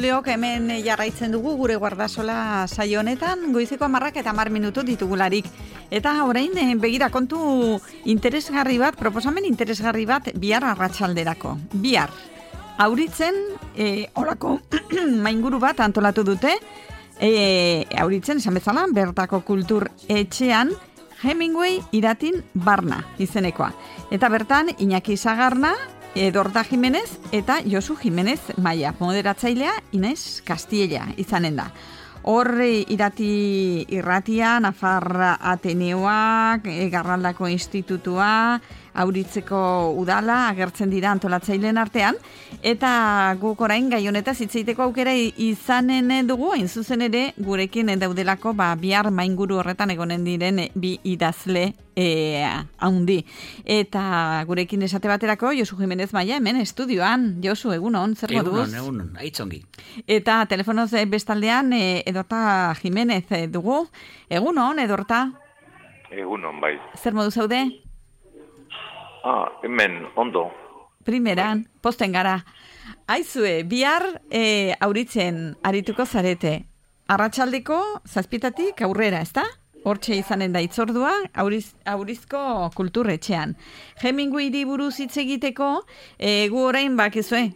entzuleok, hemen jarraitzen dugu gure guardasola saio honetan, goizeko 10 eta 10 minutu ditugularik. Eta orain begira kontu interesgarri bat, proposamen interesgarri bat bihar arratsalderako. Bihar, Auritzen, horako mainguru bat antolatu dute, Auritzen, esan bezala, bertako kultur etxean, Hemingway iratin barna izenekoa. Eta bertan, Iñaki Sagarna, Edorta Jimenez eta Josu Jimenez Maia, moderatzailea Inez Castilla izanen da. Hor irratia, Nafarra Ateneoak, Garraldako Institutua, Auritzeko udala agertzen dira antolatzaileen artean, eta guk orain gai honetaz hitz egiteko aukera izanen dugu, hain zuzen ere gurekin daudelako bihar mainguru horretan egonen diren bi idazle haundi. Eta gurekin esate baterako Josu Jimenez Maia hemen estudioan. Josu, egunon, zer moduz? Egunon, aitzongi. Eta telefonoz bestaldean Edorta Jimenez dugu. Egunon, Edorta? Egunon, bai. Zer moduz zaude? Hemen, ondo. Primeran, posten gara. Aizue, bihar Auritzen arituko zarete. Arratsaldeko 7:00 aurrera, ezta? Hortxe izanen da itzordua, Aurizko kulturretxean. Hemingwayri buruz hitz egiteko, gu orain bakizue,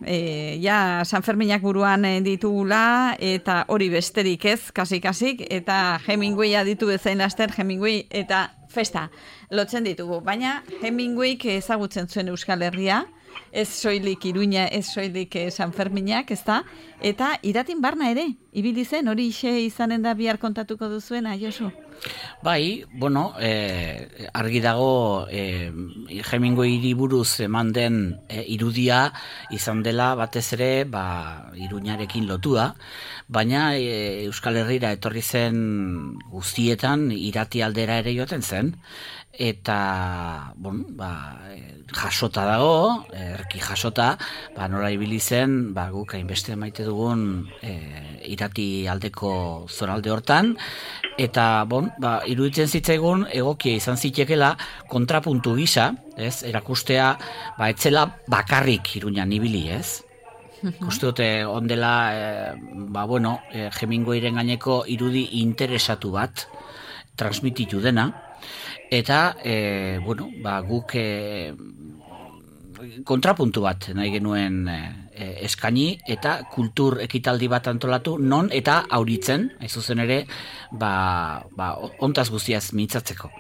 San Ferminak buruan ditugula, eta hori besterik ez, kasik, eta Hemingwaya ditu bezain laster, Hemingway eta festa lotzen ditugu. Baina Hemingwayk ezagutzen zuen Euskal Herria, ez soilik Iruña, ez soilik San Ferminak, ezta? Eta iratin barna ere, ibili zen, hori izanen da bihar kontatuko duzuena, Josu? Bai, argi dago Hemingwayri buruz eman den irudia izan dela batez ere Iruñarekin lotua, baina Euskal Herrira etorri zen guztietan irati aldera ere joaten zen, eta jasota dago, erki jasota, nola ibili zen, guk hainbeste maite dugun irati aldeko zonalde hortan, eta iruditzen zitzaigun egokia izan zitekela kontrapuntu gisa, ez, erakustea, etzela bakarrik Iruñan ibili, ez? Uste dute ondela, Hemingwayren gaineko irudi interesatu bat transmititu dena, eta, guk kontrapuntu bat nahi genuen eskaini, eta kultur ekitaldi bat antolatu, non eta Auritzen, hain zuzen ere, ontaz guztiaz mintzatzeko.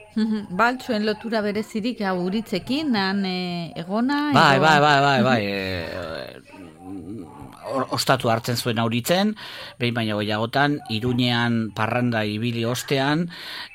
Baltzuen lotura berezirik Auritzekin, han egona? Bai. Ostatu hartzen zuen Auritzen, behin baino gehiagotan, Iruñean parranda ibili ostean,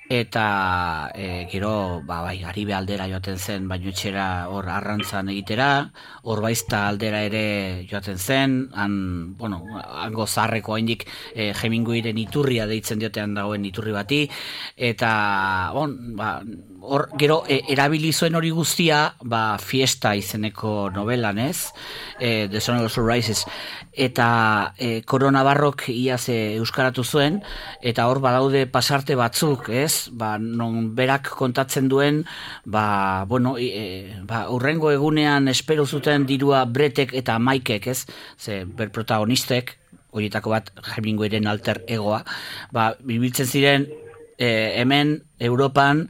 eta gero, Garibe aldera joaten zen, baino etxera hor arrantzan egitera, hor baizta aldera ere joaten zen, hango zaharreko haindik Hemingwayren iturria deitzen diotean dagoen iturri bati, eta hor gero erabili zuen hori guztia Fiesta izeneko novelan, ez? The Sun Also Rises, eta Koronabarrok iaz euskaratu zuen, eta hor badaude pasarte batzuk, ez? Non berak kontatzen duen, urrengo egunean espero zuten dirua Bretek eta Maikek, ez? Ze ber protagonistek, horietako bat Hemingwayren alter egoa, bibiltzen ziren hemen Europan,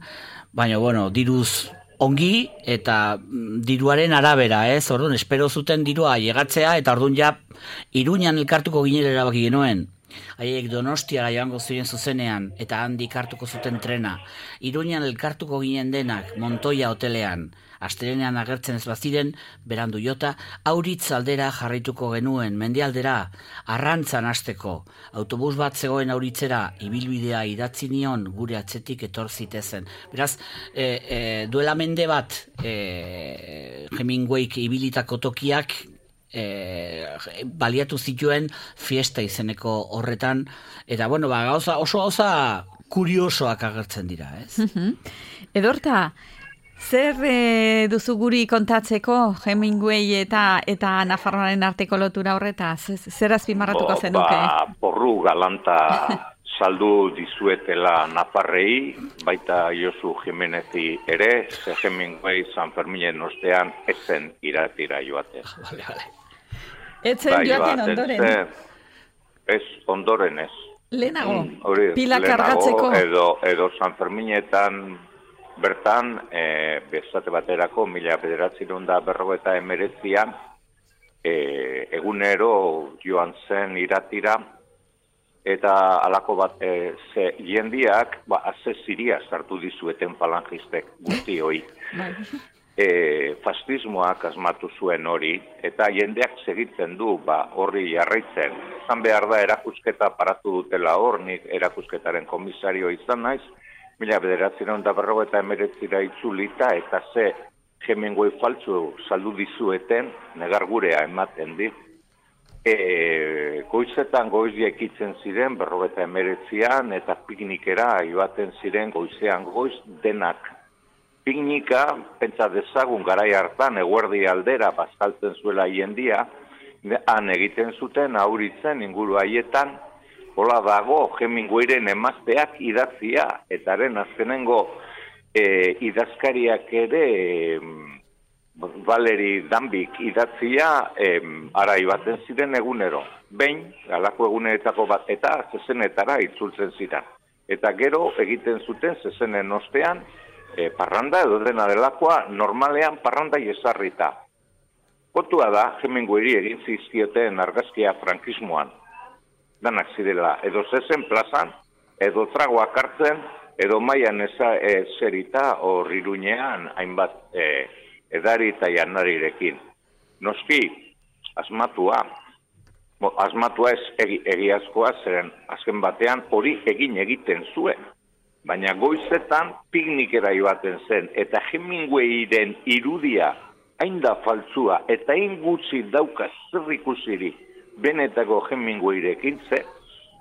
baina diruz ongi eta diruaren arabera, ez? Orduan, espero zuten dirua llegatzea, eta orduan Iruñan elkartuko ginera erabaki genuen. Haiek Donostiara joango ziren zuzenean, eta handik hartuko zuten trena. Iruñan elkartuko ginen denak, Montoya hotelean. Astelenean agertzen ez baziren, berandu jota, Auritz aldera jarraituko genuen, mendialdera, arrantzan hasteko. Autobus bat zegoen Auritzera, ibilbidea idatzi nion, gure atzetik etor zitezen. Beraz, duela mende bat, Hemingwayk ibilitako tokiak, baliatu zituen Fiesta izeneko horretan, eta oso gauza kuriosoak agertzen dira, ez? Edorta, zer duzu guri kontatzeko Hemingway eta Nafarroaren arteko lotura horretaz? Zer azpimarratuko zenuke? Porru galanta saldu dizuetela Nafarrei, baita Josu Jimenezi ere, ze Hemingway San Ferminen ostean ezen iratira joaten. Etzen joaten ondoren. Ez, ondoren ez. Lehenago, Hori, pila lehenago, kargatzeko. Edo San Ferminetan bertan, bestate baterako, 1959an, egunero joan zen iratira, eta halako bat, jendiak, aze ziria sartu dizueten falangistek guzti hoi. Fascismoak asmatu zuen hori, eta jendeak segitzen du, horri jarraitzen. Zan behar da, erakusketa paratu dutela hor, nik erakusketaren komisario izan naiz, 1959 itzulita, eta ze Hemingway faltzu saldu dizueten, negar gurea ematen dit. Goizetan goizia ekitzen ziren, 59an, eta piknikera ibaten ziren goizean goiz denak. Piknika, pentsa dezagun garai hartan, eguerdi aldera, bazkaltzen zuela jendia, han egiten zuten, auritzen, inguru haietan, hola dago, Hemingwayren emazteak idatzia, eta haren azkenengo idazkariak ere, Valeri Danbik idatzia, ara ibaten ziren egunero. Behin, galako eguneretako bat, eta zezenetara itzultzen ziren. Eta gero egiten zuten zezenen ostean, parranda edo dena delakoa, normalean parranda jesarrita. Kontua da, Hemingwayri egin zizkioten argazkia frankismoan. Danak zirela, edo zezen plazan, edo tragoak hartzen, edo maian zerita hor Iruñean hainbat edari eta janarirekin. Noski, asmatua ez egiazkoa, zeren azken batean hori egiten zuen. Baina goizetan piknikera joaten zen, eta Hemingwayren irudia hain da faltzua, eta hain gutxi dauka zer ikusirik benetako Hemingwayrekin ze,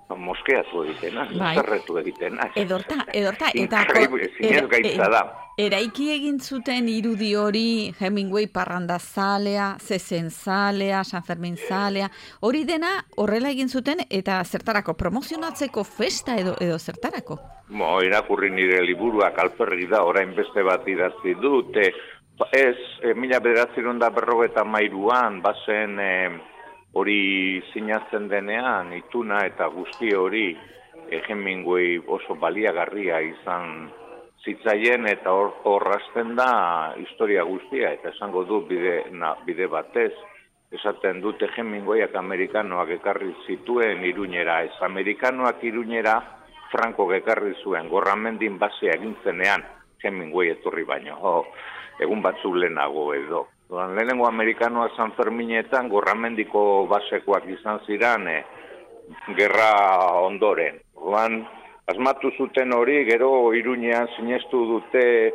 moskeatu egiten, zerretu egiten. Edorta, zinez gaitza da. Eraiki egin zuten irudi hori Hemingway parrandazalea, zezenzalea, San Fermin zalea, hori dena horrela egin zuten eta zertarako promozionatzeko festa edo zertarako? Irakurri nire liburuak alperri da, orain beste bat idatzi dut, ez, 1953an bazen hori sinatzen denean, ituna eta guzti hori Hemingway oso baliagarria izan zitzaien, eta hor hasten da historia guztia, eta esango du bide batez, esaten dute Hemingwayak amerikanoak ekarri zituen Iruñera, ez amerikanoak Iruñera Franco ekarri zuen, Gorramendin basea egin zenean Hemingway etorri baino, egun batzuk lehenago edo. Lehenengo amerikanoa San Ferminetan Gorramendiko basekoak izan ziren gerra ondoren. Asmatu zuten hori, gero Iruñean sinestu dute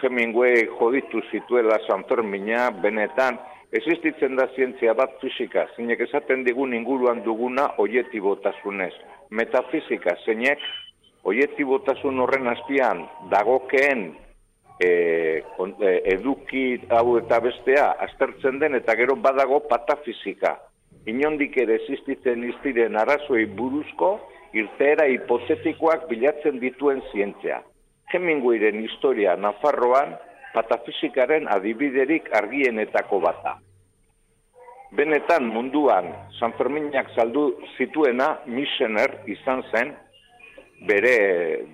Hemingway joditu zituela San Fermina, benetan, existitzen da zientzia bat fisika, zeinek esaten digun inguruan duguna oietibotasunez. Metafisika, zeinek oietibotasun horren azpian dagokeen eduki hau eta bestea aztertzen den, eta gero badago patafisika. Inondik ere existitzen iztiren arazoi buruzko irteera hipotetikoak bilatzen dituen zientzia. Hemingwayren historia Nafarroan patafisikaren adibiderik argienetako bata. Benetan munduan San Ferminak saldu zituena Michener izan zen, bere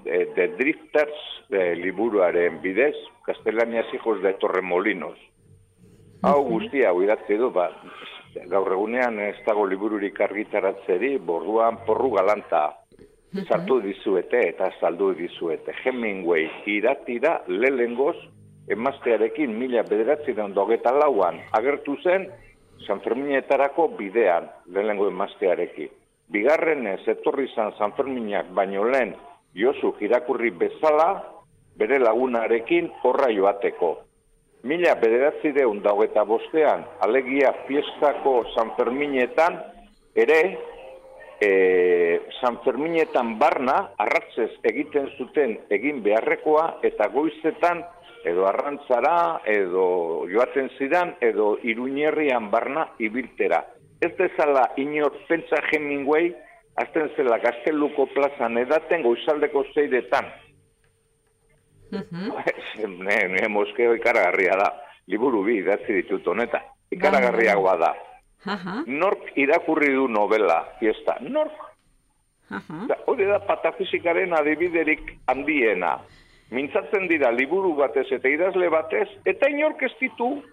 The Drifters liburuaren bidez, Castelanias hijos de Torremolinos. Hau guztia hau idatzi du, gaur egunean ez dago libururik argitaratzeri, borduan porru galanta sartu dizuete eta saldu dizuete. Hemingway idatira lehengoz emaztearekin 1924an agertu zen San Ferminetarako bidean lehengo emaztearekin. Bigarrenez etorri izan San Ferminak baino lehen Josu irakurri bezala bere lagunarekin horra joateko. 1925an, alegia fiestako San Ferminetan, ere San Ferminetan barna arratzez egiten zuten egin beharrekoa, eta goizetan edo arrantzara, edo joaten zidan, edo Iruñerrian barna ibiltera. Ez dezala inor pentsa Hemingway, azten zela Gazteluko plazan edaten goizaldeko 6etan. Moskeo ikaragarria da. Liburu bi idatzi ditut honetan. Ikaragarriagoa da. Nork irakurri du novela, fiesta, nork? Hori da patafizikaren adibiderik handiena. Mintzatzen dira liburu batez eta idazle batez, eta inork ez ditu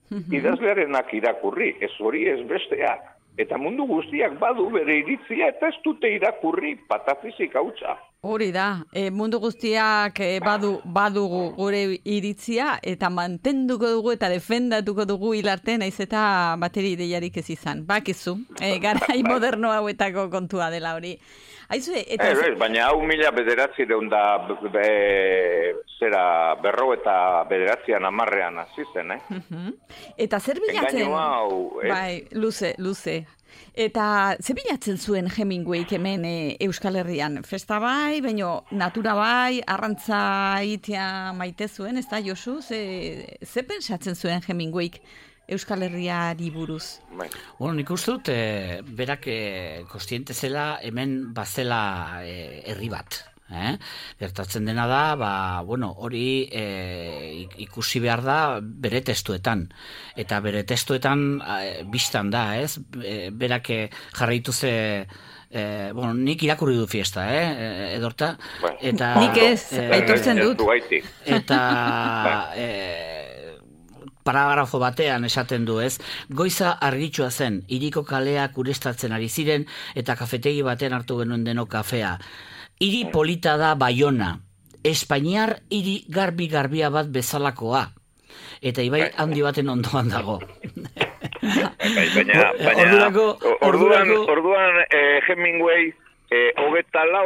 idazlearenak irakurri, ez hori ez besteak. Eta mundu guztiak badu bere iritzia eta ez dute irakurri patafizika hutsa. Hori da, mundu guztiak badu gure iritzia eta mantenduko dugu eta defendatuko dugu hilarte naiz eta bateri ideiarik ez izan. Bakizu, garai moderno hauetako kontua dela hori. Aizue, eta... baina hau 1900 eta 1910 hasi zen, Eta zer bilatzen? Engainu hau, Bai, luze. Eta ze bilatzen zuen Hemingwayk hemen Euskal Herrian? Festa bai, baina natura bai, arrantza itea maite zuen, ez da, Josu? Ze pensatzen zuen Hemingwayk Euskal Herriari buruz? Bueno, nik uste dut, berak kostiente zela hemen bazela herri bat. Gertatzen dena da, hori ikusi behar da bere testuetan. Eta bere testuetan biztan da, ez? Berak jarraitu nik irakurri du fiesta, Edorta? Eta, nik ez, aitortzen dut. Eta... paragrafo batean esaten du, ez? Goiza argitsua zen, hiriko kaleak ureztatzen ari ziren eta kafetegi batean hartu genuen deno kafea. Hiri polita da Baiona, Espainiar hiri garbi-garbia bat bezalakoa. Eta ibai handi baten ondoan dago. Orduan Hemingway 24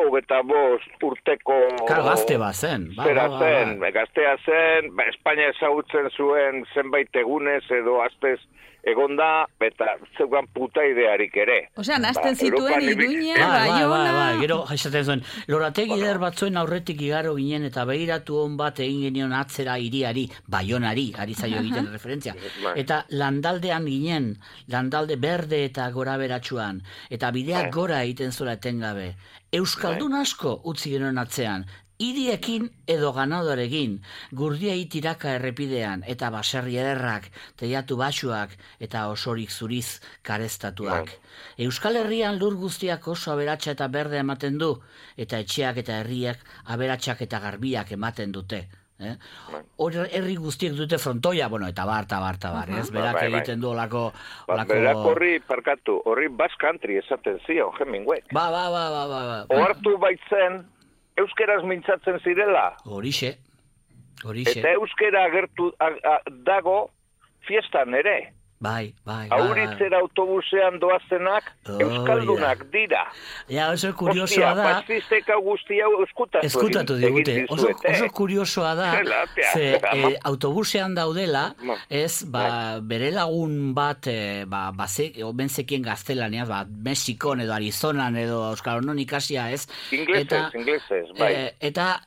urteko... Gazte bat zen. Gaztea zen, Espainia ezagutzen zuen zenbait egunez edo astez egonda, eta zeugan puta idearik ere. Osea, nazten zituen Iruña, Baiona... Gero, esaten zuen, lorategi eder batzuen aurretik igaro ginen eta begiratu hon bat egin genion atzera hiriari, Baionari, ari zaio egiten referentzia. Eta landaldean ginen, landalde berde eta gora beratxuan, eta bideak gora egiten zura etengabe. Euskaldun asko utzi genuen atzean, hiriekin edo ganadorekin, gurdiai tiraka errepidean, eta baserri ederrak, teiatu baxuak, eta osorik zuriz karestatuak. Euskal Herrian lur guztiak oso aberatsa eta berde ematen du, eta etxeak eta herriak aberatsak eta garbiak ematen dute. Herri guztiek dute frontoia, eta bar, ez? Berak egiten du olako... Berak horri Basque Country esaten zion, Hemingway. Ohartu baitzen, euskeraz mintzatzen zirela. Horixe. Eta euskera agertu dago fiestan ere. Bai. Auritzera autobusean doazenak euskaldunak dira. Ja, oso kuriosoa da. Fascistek guztia eskutatu digute. Oso kuriosoa da, ze autobusean daudela, ez, bere lagun bat, benzekien gaztelaniaz, Mexikon edo Arizonan edo Euskal Herrian ikasia, ez? Inglesez, bai. Eta...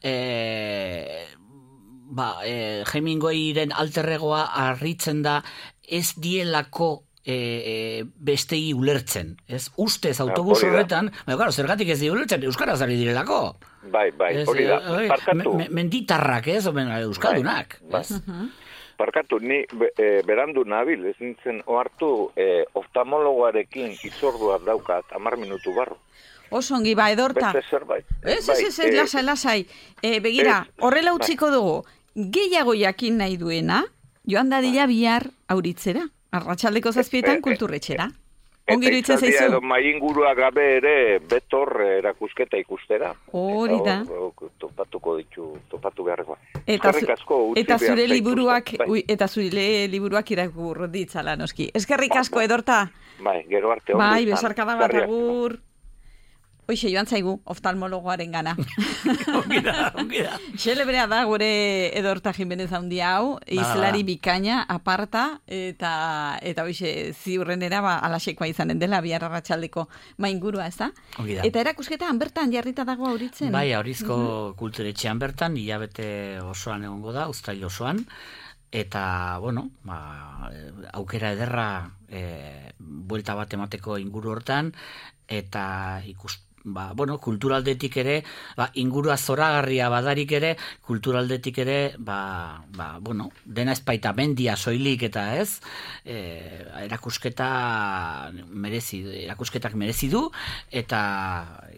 Hemingwayren alterregoa harritzen da ez dielako bestei ulertzen, ez? Ustez autobus horretan, zergatik ez di ulertzen, euskaraz ari direlako. Bai, hori da, parkatu. Menditarrak, ez? Euskaldunak. Parkatu, ni berandu nabil, ez nintzen ohartu oftalmologoarekin izordua daukat 10 minutu barru. Oso ongi, Edorta. Beste zerbait. Ez, lasai. Begira, horrela utziko dugu, gehiago jakin nahi duena, joan dadila bihar auritzera, arratsaldeko 7 kulturretxera. Ongi iruditzen zaizu? Eta maingurua gabe ere betor erakusketa ikustera. Hori da. Topatu beharrekoa. Eta zure liburuak irakur ditzala, noski. Eskerrik asko, Edorta. Bai, gero arte. Bai, besarkada bat agur. Hoixe, joan zaigu, oftalmologoaren gana. Ongi da. Xelebrea da gure Edorta Jimenez handi hau, izlari bikaina, aparta, eta hoixe, ziurrenera alaxekoa izanen dela, bihar arratsaldeko maingurua, ez da? Ongi da. Eta erakusketan bertan jarrita dago auritzen? Bai, Aurizko kulturetxean bertan, hilabete osoan egongo da, uztail osoan, eta, aukera ederra buelta bat emateko inguru hortan, eta bueno, kulturaldetik ere, ingurua zoragarria badarik ere, kulturaldetik ere, bueno, dena ezpaita mendia soilik eta ez, erakusketak merezi du, eta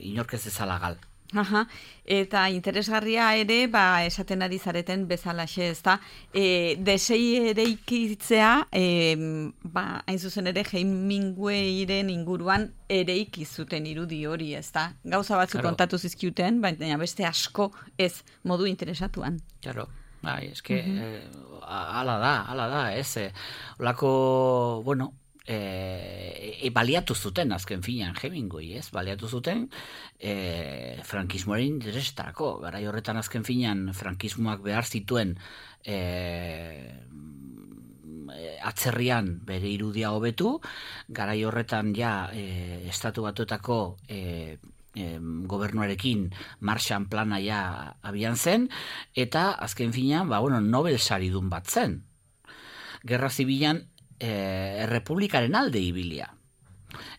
inork ez ezala gal. Aha, eta interesgarria ere, esaten ari zareten bezalaxe, ez da, desei eraikitzea, hain zuzen ere, Hemingwayren inguruan eraiki zuten irudi hori, ez da? Gauza batzuk kontatu zizkiuten, baina beste asko ez modu interesatuan. Claro. Eske, ala da, ez? Olako, bueno, baliatu zuten azken finean Hemingway, ez? Baliatu zuten frankismoaren interesetarako. Garai horretan azken finean frankismoak behar zituen atzerrian bere irudia hobetu, garai horretan Estatu Batuetako gobernuarekin Marshall plana abian zen, eta azken finean, Nobel saridun bat zen. Gerra Zibilan errepublikaren alde ibilia.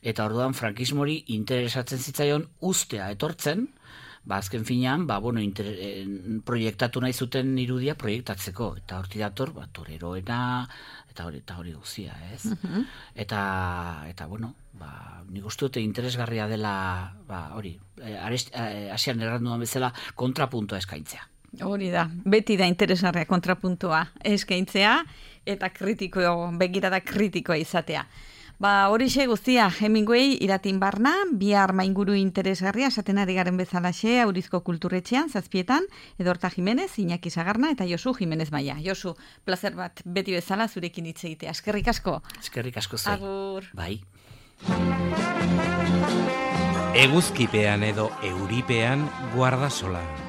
Eta orduan frankismori interesatzen zitzaion ustea etortzen, azken finean, proiektatu nahi zuten irudia proiektatzeko. Eta horti dator, toreroena, eta hori guzia, ez? Eta bueno, nik uste dute interesgarria dela, hori, hasian erranduan bezala, kontrapuntoa eskaintzea. Hori da, beti da interesgarria kontrapuntua eskaintzea eta begirada kritikoa izatea. Horixe guztia, Hemingway iratin barna, bihar mainguru interesgarria esaten ari garen bezalaxe, Aurizko Kulturretxean, 7:00, Edorta Jimenez, Iñaki Sagarna eta Josu Jimenez Maia. Josu, plazer bat beti bezala zurekin hitz egitea. Eskerrik asko. Eskerrik asko zai. Agur. Bai. Eguzkipean edo euripean Guardasolan.